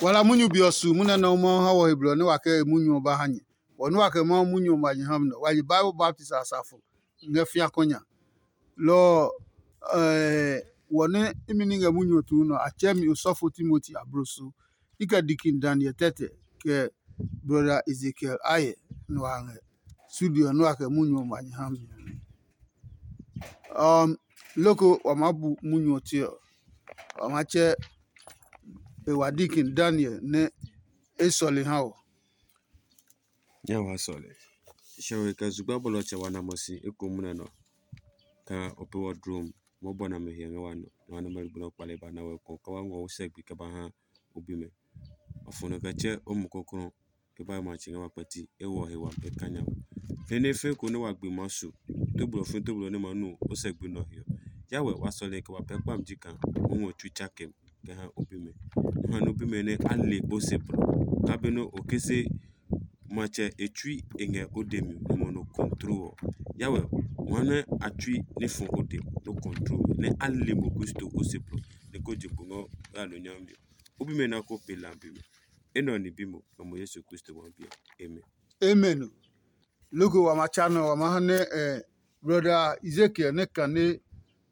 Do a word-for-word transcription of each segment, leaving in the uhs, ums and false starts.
Wala munyu be ɔ su munyu nɛ Mawu ha wɔ he blɔ nɛ wa kɛ e munyu ɔ ba ha nyɛ. Wɔ nɛ wa kɛ Mawu munyu ɔ ma nyɛ ha mi nɛ wa yi Bible baptist asafo ngɛ fĩa kɔ nya. Lɔ ɔ, wɔ nɛ imi ní ngɛ munyu ɔ tuu nɔ, a tsɛɛ mi osɔfo Timoti abloso. I kɛ Dikin Daniel tɛtɛ, kɛ brɔda Ezekiel ayɛ nɛ wa ngɛ studio nɛ wa kɛ munyu ɔ ma nyɛ ha mi. Um, loko wa maa bu munyu ɔ tse ɔ, wa maa tsɛ e wa Dikin Daniel nɛ e sɔle ha wɔ. Nya wa sɔle. Shɛwe kɛ zugba bɔlɔtsɛ wa na mɔ si eko munɛ nɔ. Ka o pe wɔ drom mɔ bɔ na me hiɛ ngɛ wa nɔ. Na wa nɔ mɛ gblɔ kpale ba na wɛ ko ka wa ngɔ wo sɛ gbi kɛ ba ha o bi mɛ. Afɔ nɔ kɛ tsɛ o mu kokro ke ba ma tsi ngɛ wa kpɛti e wɔ he wa e ka nya wa. He ne fe ko ne wa gbi ma su. Toblo fe toblo ne ma nu o sɛ gbi nɔ hiɔ. Ya wɛ wa sɔle kɛ wa pɛ kpam ji kan o ngɔ tsu tsakem kɛ ha o bi mɛ. Ha no bi mɛ nɛ a le kpo se blɔ. Ka be no o ke se matsɛ e tsui e ngɛ o de mi nɔmɔ no control ɔ. Ya wɛ wa nɛ a tsui ne fɔ o de no control nɛ a le mo Kristo o se blɔ ne ko je kpo ngɔ ya lo nyami. O bi mɛ na ko pe la bi mɛ. Enɛ ɔ ni bi mo nɔmɔ Yesu Kristo wa bi ɔ. Amen. Amen. Loko wa ma tsa nɔ wa ma ha nɛ eh, brother Ezekiel ne kane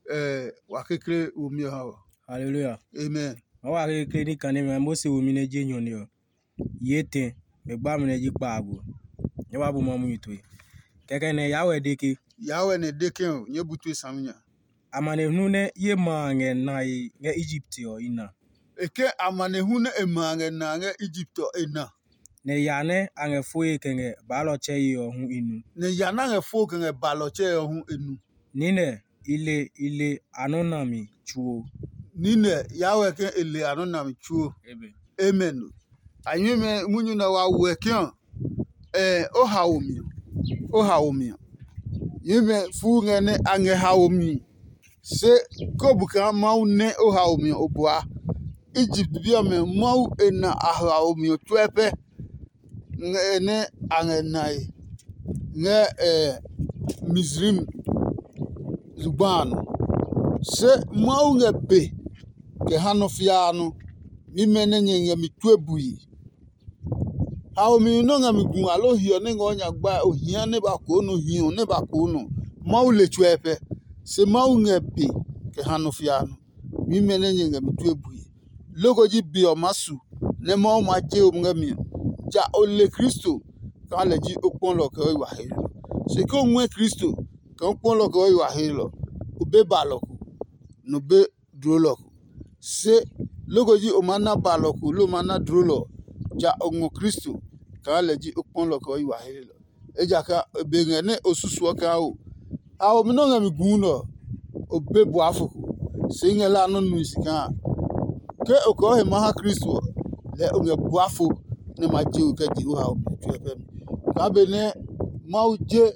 eh, wa kekle wo mi ha wa. Hallelujah. Amen. Ma wa kekle ni kane mɛ Mose wo mi ne je nyɔ ne ɔ. Ye tɛ, mɛ gba mi nɛ ji kpaago. Nyɛ wa bu ma munyu tue. Kɛkɛ nɛ ya wɛ de ke. Ya wɛ nɛ de ke o, nyɛ bu tue sami nya. Amanehlu nɛ ye ma a ngɛ nae ngɛ Egypt ɔ i na. E ke amanehlu nɛ e ma a ngɛ na ngɛ Egypt ɔ e na. Nɛ ya nɛ a ngɛ foe kɛ ngɛ baalɔtsɛ ye ɔ hu i nu. Nɛ ya nɛ a ngɛ fo kɛ ngɛ baalɔtsɛ ɔ hu e nu. Niinɛ, i le i le a nɔ́ na mi tsuo. Niinɛ, ya wɛ ke e le a nɔ́ na mi tsuo. Amen. Amen. A nyuimɛ munyu nɛ wa wɛ ke ɔ, eh, o haomi ɔ, o haomi ɔ. Nyuimɛ fuu ngɛ nɛ a ngɛ haomi. Se ko bu kaa Mawu nɛ o haomi ɔ o bua. Egypt bi ɔmɛ Mawu e na a haomi ɔ tsuɛ pɛ. Ngɛ nɛ a ngɛ nae ngɛ eh, Mizraim zugba a nɔ. Se Mawu ngɛ be kɛ ha nɔ fiaa nɔ. Mimɛ nɛ nyɛ ngɛ mi tue bui. Haomi nɔ ngɛ mi gu alo hiɔ nɛ ngɛ o nya gbae o hia nɛ ba koo nɔ hiɔ nɛ ba koo nɔ. Mawu le tsuɛ pɛ. Se Mawu ngɛ be kɛ ha nɔ fiaa nɔ. Mimɛ nɛ nyɛ ngɛ mi tue bui. Loko ji be ɔ maa su nɛ Mawu maa je o ngɛ mi ɔ. Ja o le Kristo kaa lɛ ji o kpɔlɔ kɛ o yi wa heelɔ. Se ke o ngɔɛ Kristo kaa o kpɔlɔ kɛ o yi wa heelɔ, o be balɔ ko, nɔ be dlolɔ ko. Se loko ji o maa na balɔ ko loo o maa na dlolɔ ɔ, ja o ngɔ Kristo kaa lɛ ji o kpɔlɔ kɛ o yi wa heelɔ. Ejakaa e be ngɛ nɛ o susuɔ kaa o. Haomi nɛ o ngɛ mi guu nɛ ɔ, o be buafo ko. Se i ngɛ la nɔ́ nui si kaa ke o kɔɔ he ma ha Kristo ɔ, lɛɛ o ngɛ buafo nɛ ma je we kɛ je o haomi tsuɛ pɛ mi. Kaa benɛ Mawu je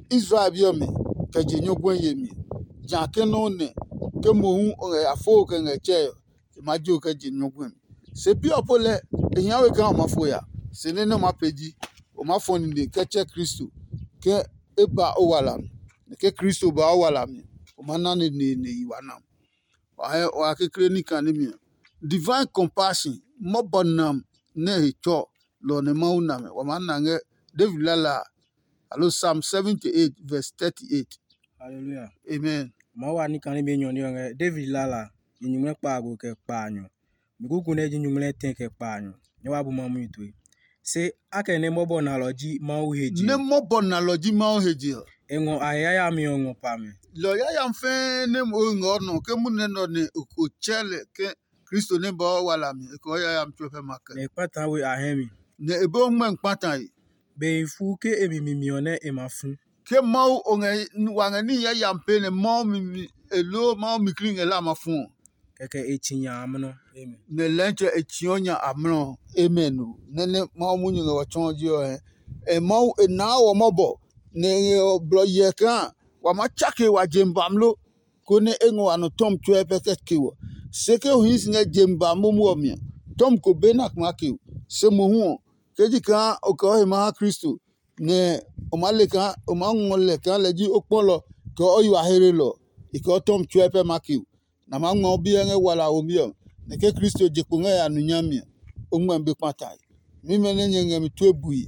Israel bi ɔmɛ kɛ je nyɔguɛ yemi ɔ, ja ke nɔ́ nɛ ke mohu o ngɛ ya fo kɛ ngɛ tsɛe ɔ, e ma je o kɛ je nyɔguɛ mi. Se bi ɔ po lɛ e hia we kaa o ma fo ya, se nɛ nɛ o ma pee ji o ma fɔ nine kɛ tsɛ Kristo ke e ba o wala mi. Nɛ ke Kristo ba o wala mi, o ma na neneene yi wa nam. Wa hɛ wa kekle ní kane mi ɔ. Divine compassion, mɔbɔ nam nɛ he tsɔ lɔ nɛ Mawu na mɛ. Wa maa na ngɛ David lala a, alo Psalm seventy eight verse thirty eight. Hallelujah. Amen. Mawu wa ní kane mi enyɔ ní ɔ ngɛ David lala a, yi nyuŋmlɛ kpaago kɛ kpaanyɔ. Mi kuku nɛ ji nyuŋmlɛ tɛ kɛ kpaanyɔ. Nyɛ wa bu ma munyu tue. Se akɛ nɛ mɔbɔ nalɔ ji Mawu he je. Nɛ mɔbɔ nalɔ ji Mawu he je ɔ. E ngɔ a he yayami ɔ ngɔ pa mɛ. Lɔ yayami fɛɛ nɛ mo ngɔ nɔ ke munɛ nɔ nɛ o tsɛ lɛ ke Kristo nɛ ba o wala mi, e kɔɔ yayami tsuɛ pɛ ma kɛ. Nɛ e kpata we a hɛ mi. Nɛ e be o ngmɛ kpata e. Be e fu ke e mi mi mi ɔ nɛ e ma fu. Ke Mawu o ngɛ wa ngɛ ní yayami pee nɛ Mawu mi mi e loo Mawu mi kli ngɛ la ma fu ɔ. Kɛkɛ e tsi nya amlɔ. Amen. Nɛ lɛntsɛ e tsiɔ nya amlɔ. Amen o. Nɛ nɛ Mawu munyu ngɛ wɔ tsɔɔ ji ɔ hɛ. E Mawu e naa wɔ mɔbɔ nɛ e ngɛ ɔ blɔ yɛ kaa wa ma tsake wa je bamlo konɛ e ngɔ wa nɔ tɔmi tsuɛ pɛ kɛ ke wɔ. Se ke o hii si ngɛ je ba momo ɔ mi ɔ, tɔmi ko be na kuma ke o. Se mohu ɔ, ke ji kaa o kɛ o he ma ha Kristo, nɛ o maa le kaa o maa ngɔ lɛ kaa lɛ ji o kpɔlɔ kɛ o yi wa heelelɔ, e kɛ o tɔmi tsuɛ pɛ ma ke o. Nɛ a maa ngma o biɛ ngɛ wala womi ɔ, nɛ ke Kristo je kpo ngɛ ya nu nyami ɔ, o ngmɛmi be kpatae. Mimɛ nɛ nyɛ ngɛ mi tue bui.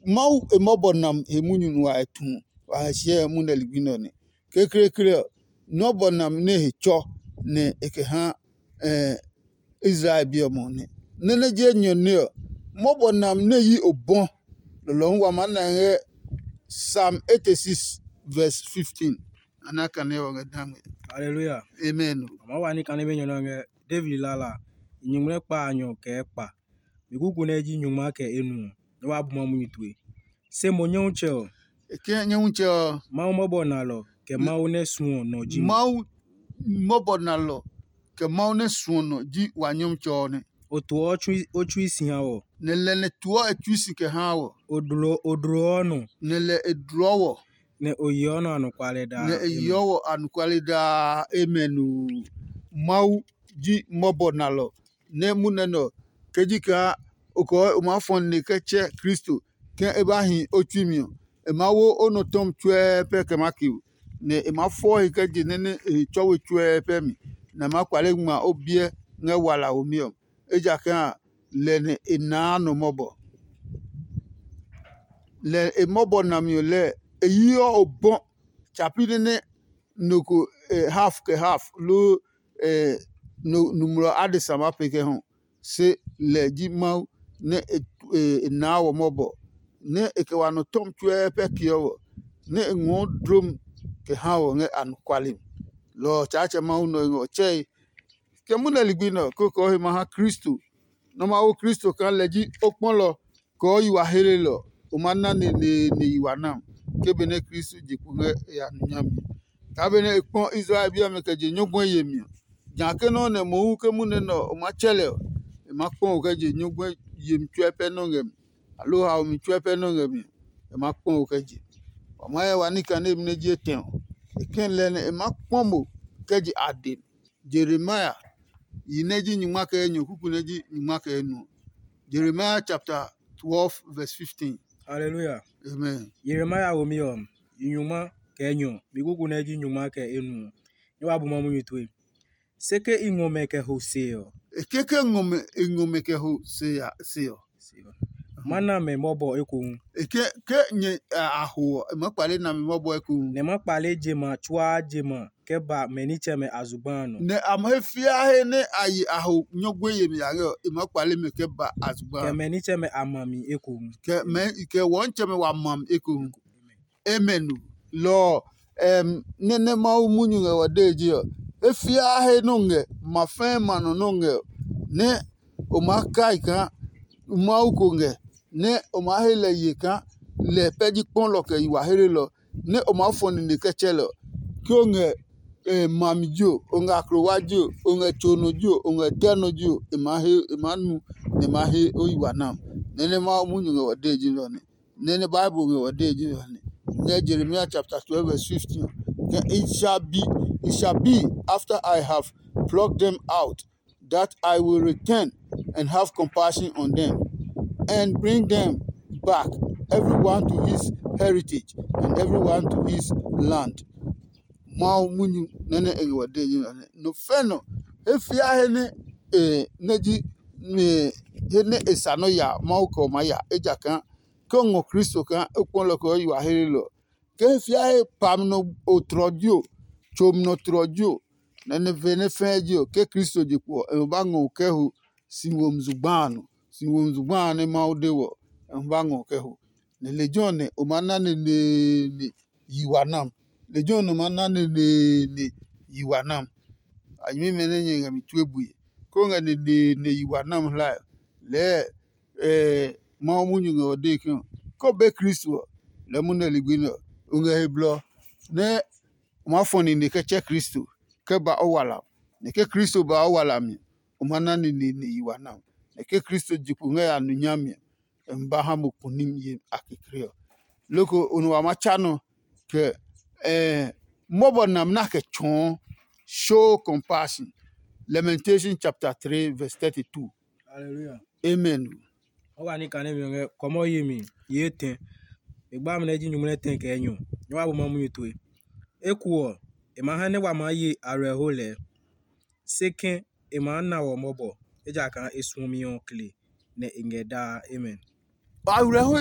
Mawu e mɔbɔ nam he munyu nua e tu wa he siɛ munɛ ligbi nɛ ɔ nɛ. Kekleekle ɔ, nɔ́ bɔ nam nɛ he tsɔ nɛ e kɛ ha Israel bi ɔ mɔ nɛ. Nɛ nɛ je nyɔ nɛ ɔ, mɔbɔ nam nɛ yi obɔ. Lɔlɔhu wa maa na ngɛ Psalm eighty-six verse fifteen. Ana kane ɔ ngɛ dangme. Hallelujah. Amen. Ama wa ni kane be nyɔ nɔ ngɛ David lala. Nyuŋmlɛ kpa a nyɔ kɛ kpa. Mi kuku nɛ ji nyungma kɛ enuɔ, nɛ wa bu ma munyu tue. Se mo Nyɔmtsɛ ɔ, E kɛ Nyɔmtsɛ ɔ, Mawu mɔbɔ nalɔ kɛ Mawu nɛ suɔ nɔ ji mo. Mawu mɔbɔ nalɔ kɛ Mawu nɛ suɔ nɔ ji wa Nyɔmtsɛ ɔ nɛ. O tuɔ o tsui si ha wɔ. Nɛ lɛ nɛ tuɔ e tsui si kɛ ha wɔ. O dlo o dlo ɔ nɔ. Nɛ lɛ e dlɔ wɔ. Nɛ o yeɔ nɔ anɔkualɛ daa. Nɛ e yeɔ wɔ anɔkualɛ daa. Amen. Mawu ji mɔbɔ nalɔ nɛ munɛ nɛ ɔ, kɛ ji kaa o kɔɔ o maa fɔ nine kɛ tsɛ Kristo ke e ba hi o tsui mi ɔ, e maa wo o nɔ tɔmi tsuɛɛ pɛ kɛ maa kio, nɛ e maa fɔ he kɛ je nɛ nɛ e he tsɔwe tsuɛɛ pɛ mi, nɛ a maa kpale ngma o biɛ ngɛ walaomi ɔ, ejakaa a, lɛ nɛ e naa nɔ mɔbɔ. Lɛ e mɔbɔ nami ɔ lɛɛ, e yiɔ obɔ tsapi nɛ nɛ nɔ ko half kɛ half loo numlɔ adesa maa pee kɛ hɔ. Se lɛ ji Mawu nɛ e naa wɔ mɔbɔ, nɛ e kɛ wa nɔ tɔmi tsuɛɛ pɛ keɔ wɔ, nɛ e ngɔɔ dlomi kɛ ha wɔ ngɛ anɔkuale mi. Lɔ ɔ Tsaatsɛ Mawu nɔ e ngɛ ɔ tsɛe. Kɛ munɛ ligbi nɛ ɔ, kókó he ma ha Kristo. Nɔ́ Mawu Kristo kaa lɛ ji o kpɔlɔ kɔɔ yi wa helelɔ. O ma na neneene yi wa nam, ke benɛ Kristo je kpo ngɛ e ya nu nyami. Kaa benɛ e kpɔ Israel bi ɔmɛ kɛ je nyɔguɛ yemi ɔ, ja ke nɔ́ nɛ mohu ke munɛ nɛ ɔ o maa tsɛ lɛ ɔ, e maa kpɔ o kɛ je nyɔguɛ yemi tsuɛ pɛ nɔ́ ngɛ mi, aloo haomi tsuɛ pɛ nɔ́ ngɛ mi ɔ, e maa kpɔ o kɛ je. Wa maa hyɛ wa ní kanemi nɛ ji etɛ ɔ, e kɛ lɛ nɛ e maa kpɔ mo kɛ je ade. Jeremia yi nɛ ji nyingma kɛ enyɔ kuku nɛ ji nyingma kɛ enuɔ. Jeremia chapter twelve verse fifteen. Hallelujah. Amen. Jeremia womi ɔ, yi nyingma kɛ enyɔ, mi kuku nɛ ji nyingma kɛ enuɔ. Nyɛ wa bu ma munyu tue. Se ke i ngɔ mɛ kɛ ho se ɔ. E keke ngɔ mɛ e ngɔ mɛ kɛ ho se ya se ɔ. Ma na mɛ mɔbɔ ekohu. E ke ke nyɛ a ho ɔ, e ma kpale na mɛ mɔbɔ ekohu. Nɛ ma kpale jema tsuaa jema kɛ ba mɛ nitsɛmɛ a zugba a nɔ. Nɛ a ma he fia he nɛ a yi a ho nyɔgbe yemi a ngɛ ɔ, e ma kpale mɛ kɛ ba a zugba. Kɛ mɛ nitsɛmɛ a ma mi ekohu. Kɛ mɛ kɛ wɔntsɛmɛ wa ma mi ekohu. Amen. Lɔ ɔ, nɛ nɛ Mawu munyu ngɛ wa dee je ɔ, e fiaa he nɔ ngɛ ma fɛɛ ma nɔ nɔ ngɛ ɔ, nɛ o maa kai kaa Mawu ko ngɛ, nɛ o maa he lɛ ye kaa lɛ pɛ ji kpɔlɔ kɛ yi wa helelɔ, nɛ o maa fɔ nine kɛ tsɛ lɛ ɔ. Ke o ngɛ mami ji o, o ngɛ aklowa ji o, o ngɛ tso nɔ ji o, o ngɛ tɛ nɔ ji o, e maa he e maa nu nɛ e maa he o yi wa nam. Nɛ nɛ Mawu munyu ngɛ wa dee ji nɛ ɔ nɛ. Nɛ nɛ Bible ngɛ wa dee ji nɛ ɔ nɛ. Ngɛ Jeremia chapter twelve verse fifteen. Ke it shall be, it shall be after I have plucked them out that I will return and have compassion on them, and bring them back, everyone to his heritage and everyone to his land. Mawu munyu nɛ nɛ e ngɛ wa dee ji nɛ ɔ nɛ. No fɛ nɔ, he fia he nɛ e nɛ ji he nɛ e sa nɔ ya Mawu kɛ o maa ya, ejakaa ke o ngɔ Kristo kaa o kpɔ lɛ kɛ o yi wa helelɔ. Ke he fia he pami nɔ o tlɔ ji o, tsomi nɔ tlɔ ji o, nɛ nɛ ve nɛ fɛɛ ji o, ke Kristo je kpo ɔ, e ba ngɔ o kɛ ho si womi zugba a nɔ. Si womi zugba a nɛ Mawu de wɔ ɔ, e ba ngɔ o kɛ ho. Nɛ lejɛ ɔ nɛ o maa na neneene yi wa nam. Lejɛ ɔ nɛ o maa na neneene yi wa nam. A nyɛmimɛ nɛ nyɛ ngɛ mi tue bue, koo ngɛ neneene yi wa nam hlae ɔ, lɛɛ Mawu munyu ngɛ o dee ke ke o be Kristo ɔ, lɛɛ munɛ ligbi nɛ ɔ, o ngɛ he blɔ nɛ o maa fɔ nine kɛ tsɛ Kristo kɛ ba o wala. Nɛ ke Kristo ba o wala mi, o ma na neneene yi wa nam. Nɛ ke Kristo je kpo ngɛ ya nu nyami ɔ, e ma ba ha mo kunim ye a kekle ɔ. Loko o nɔ wa ma tsa nɔ kɛ mɔbɔ nam na kɛ tsɔɔ. Show compassion. Lamentation chapter three verse thirty-two. Hallelujah. Amen. O wa ni kane mi ngɛ kɔmɔ yi mi ye tɛ. E gba mi nɛ ji nyumu nɛ tɛ kɛ nyɔ. Nyɔ wa bu ma munyu tue. Eku ɔ, e ma ha nɛ wa maa ye arɛho lɛɛ. Se kɛ e maa na wɔ mɔbɔ. ejakaa e suɔmi ɔ kle nɛ e ngɛ daa. Amen. Awerɛho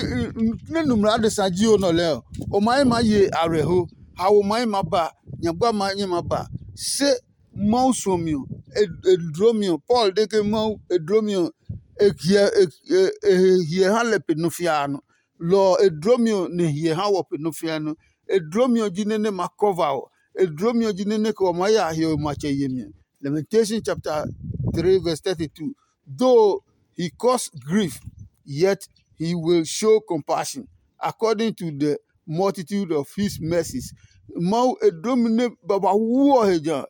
nɛ numlɔ adesa ji o nɔ lɛɛ ɔ, o ma ye maa ye awerɛho. Hawo ma ye maa ba, nyagba ma ye maa ba. Se Mawu suɔmi ɔ, e dlomi ɔ, Paul de ke Mawu e dlomi ɔ, e hiɛ ha lɛ pe nɔ fia a nɔ. Lɔ ɔ, e dlomi ɔ nɛ hiɛ ha wɔ pe nɔ fia nɔ. E dlomi ɔ ji nɛ nɛ ma kɔva ɔ. E dlomi ɔ ji nɛ nɛ kɛ wa maa ya hiɔwe matsɛ yemi ɔ. Lamentation chapter three verse thirty-two. Though he cause grief, yet he will show compassion according to the multitude of his mercies. Mawu e dlomi nɛ babauu ɔ he ja,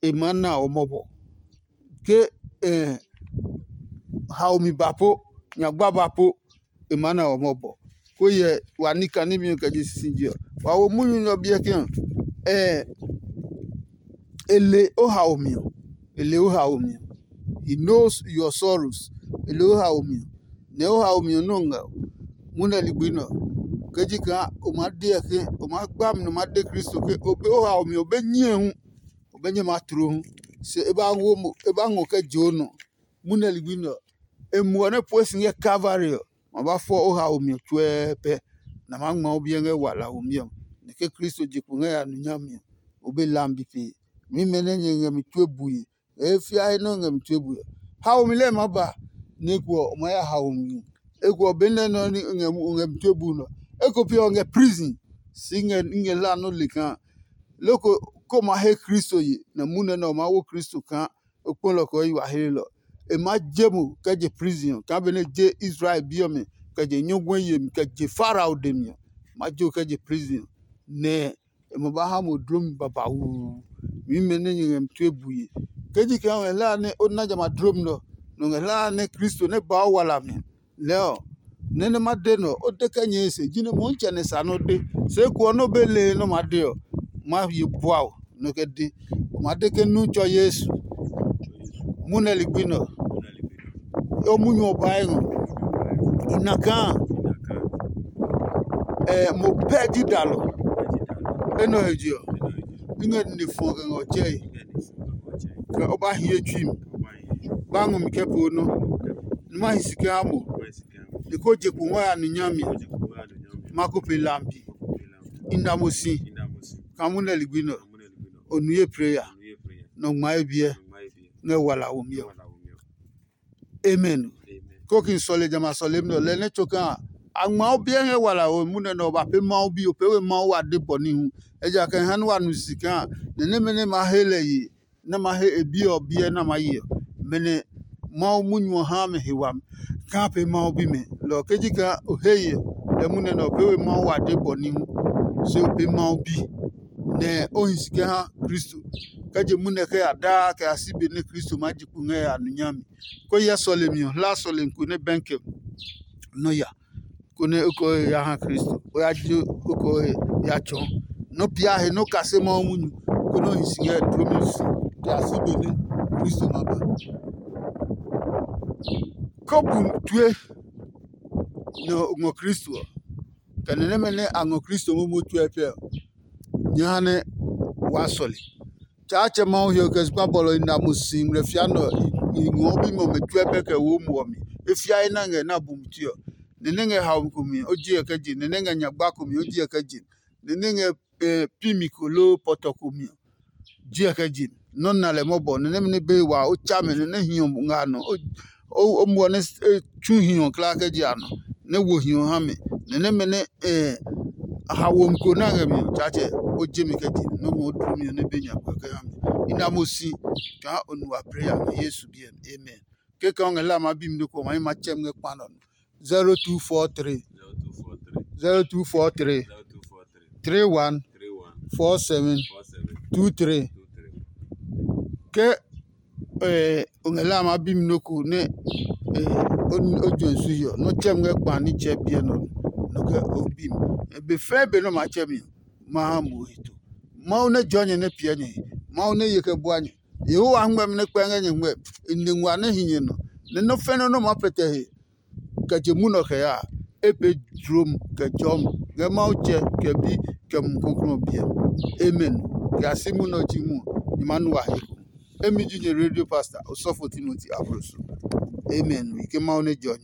e maa na ɔ mɔbɔ. Ke eh, haomi ba po, nyagba ba po, e maa na ɔ mɔbɔ. Ko yɛ wa ní kanemi ɔ kɛ je sisije ɔ, wa wo munyu nɛ ɔ biɛ ke ɔ, eh, e le o haomi ɔ. E le o haomi ɔ. He knows your sorrows. E le o haomi ɔ. Nɛ o haomi ɔ nɔ́ ngɛ ɔ, munɛ ligbi nɛ ɔ. Ke ji kaa o maa deɔ ke o maa gba mi nɔ ma de Kristo ke o be o haomi ɔ be nyɛe hu, o be nyɛ ma tloo hu. Se e ba ngɔ kɛ je o nɔ. Munɛ ligbi nɛ ɔ, e muɔ nɛ pue si ngɛ Kalvari ɔ, ma ba fɔ o haomi ɔ tsuɛɛ pɛ, nɛ a maa ngma o biɛ ngɛ walahomi ɔ. Nɛ ke Kristo je kpo ngɛ ya nu nyami ɔ, o be lambi pee. Mimɛ nɛ nyɛ ngɛ mi tue bue, ngɛ he fiae nɛ o ngɛ mi tue bue ɔ, haomi lɛɛ maa ba, nɛ eko ɔ, o maa ya haomi. Eko ɔ, benɛ nɛ ɔ ngɛ mi tue bue nɔ, eko pe ɔ ngɛ prison. Si ngɛ ngɛ hla nɔ́ le kaa loko ko ma he Kristo ye, nɛ munɛ nɛ ɔ maa wo Kristo kaa o kpɔlɔ kɛ o yi wa hlelɔ. E maa je mo kɛ je prison ɔ, kaa benɛ je Israel bi ɔmɛ kɛ je nyɔguɛ yemi kɛ je Farao dɛ mi ɔ, ma je o kɛ je prison ɔ, nɛ e ma ba ha mo dlomi babauu. Mimɛ nɛ nyɛ ngɛ mi tue bue. Ke ji kaa o ngɛ hlaa nɛ o na jamɛ a dlomi nɛ ɔ, nɛ o ngɛ hlaa nɛ Kristo nɛ ba o wala mi lɛɛ ɔ, nɛ nɛ ma de nɛ ɔ, o de kɛ nyɛe se, jinɛ Mɔmitsɛ nɛ sa nɛ o de. Se eko ɔ nɛ o be lee nɛ o ma de ɔ, ma ye bua o nɛ o kɛ de. O ma de ke nu tsɔ Yesu. Munɛ ligbi nɛ ɔ, o munyu ɔ bae ngɔ. I na kaa ɛ mo pɛ ji dalɔ. Enɛ ɔ he je ɔ, i ngɛ nine fɔ kɛ ngɛ ɔ tsɛe. Kɛ o ba hie tsui mi, ba ngɔ mi kɛ po nɔ. Numa hi si kɛ ha mo. E ko je kpo ngɔ ya nu nyami. Ma ko pe lambi. I na mo si. Ka munɛ ligbi nɔ. O nu ye prayer. Nɔ ngma ye biɛ. Ngɛ wala wo mi ɔ. Amen. Ko kin sɔle jamɛ a sɔle mi nɔ lɛ nɛ tso kaa a ngma o biɛ ngɛ wala wo munɛ nɛ ɔ ba pe Mawu bi o pe we Mawu wa de bɔ ní hu. Ejakaa ha nɛ wa nu si kaa nɛ nɛmɛ nɛ ma he lɛ ye nɛ ma he e bi ɔ biɛ nɛ ma ye ɔ, mɛnɛ Mawu munyu ɔ ha mɛ he wami kaa pe Mawu bimɛ. Lɔ ɔ ke ji kaa o he ye ɔ, lɛ munɛ nɛ ɔ pee we Mawu wa de bɔ ní hu, se o pee Mawu bi, nɛ o hi si kɛ ha Kristo. Kɛ je munɛ kɛ ya daa kɛ ya si be nɛ Kristo maa ji kpo ngɛ ya nu nyami. Ko hyɛ sɔlemi ɔ, hla sɔlemi ko nɛ bɛn kɛ nɔ ya. Konɛ o kɛ ya ha Kristo, o ya ji o kɛ ya tsɔɔ. Nɔ pia he nɔ kase Mawu munyu, konɛ o hi si ngɛ dlomi si kɛ ya si be nɛ Kristo ma ba. Ko bu tue nɛ o ngɔ Kristo ɔ, kɛ nɛ nɛmɛ nɛ a ngɔ Kristo momo tue ɔ pɛ ɔ, nyɛ ha nɛ waa sɔle. Tsaatsɛ Mawu he ɔ kɛ zugba bɔlɔ i na mo si ngmlɛ fia nɛ ɔ, i ngɔɔ bimɛ ɔmɛ tsuɛ pɛ kɛ wo muɔ mi. E fia e na ngɛ na bumi tue ɔ. Nɛ nɛ ngɛ haomi ko mi ɔ, o ji kɛ je. Nɛ nɛ ngɛ nyagba ko mi ɔ, o ji kɛ je. Nɛ nɛ ngɛ pi mi ko loo pɔtɔ ko mi ɔ, ji kɛ je. Nɔ́ na lɛ mɔbɔ, nɛ nɛmɛ nɛ be wa o tsa mɛ nɛ nɛ hiɔ nga nɔ. O muɔ nɛ tsu hiɔ kla kɛ je a nɔ, nɛ wo hiɔ ha mɛ. Nɛ nɛmɛ nɛ hawo mi ko na ngɛ mi ɔ, Tsaatsɛ, o je mi kɛ je. Nɔ́ ngɔ o dlu mi ɔ nɛ be nya kpɛ kɛ ha mi. I na mo si kaa o nu wa prayer ngɛ Yesu biɛ mi. Amen. Kekɛ o ngɛ la ma bi mi nɔ ko ma yi ma tsɛ mi ngɛ kpa nɔ. Zero two four three, zero two four three, three one, four seven, two three. Ke o ngɛ la ma bi mi nɔ ko nɛ o juɛ su hiɔ nɔ tsɛ mi ngɛ kpa ní tsɛ biɛ nɔ nɔ kɛ o bi mi. Be fɛɛ be nɔ ma tsɛ mi ɔ, ma ha mo he to. Mawu nɛ jɔ nyɛ nɛ piɛ nyɛ he, Mawu nɛ ye kɛ bua nyɛ. Yehowa ngmɛmi nɛ kpɛ ngɛ nyɛ ngmɛ, e ni ngua nɛ hi nyɛ nɔ, nɛ nɔ́ fɛnɛ nɔ́ maa pɛtɛ he kɛ je munɔ kɛ ya a, e pee jlom kɛ jɔmi ngɛ Mawu tsɛ kɛ bi kɛ Mumi Klɔuklɔu ɔ biɛ. Amen. Kɛ ya si munɔ ji mu ɔ, nyɛ maa nu wa he ko. Emi ji nyɛ radio pastor, osɔfo Timoti Abroso. Amen. We ke Mawu nɛ jɔ nyɛ.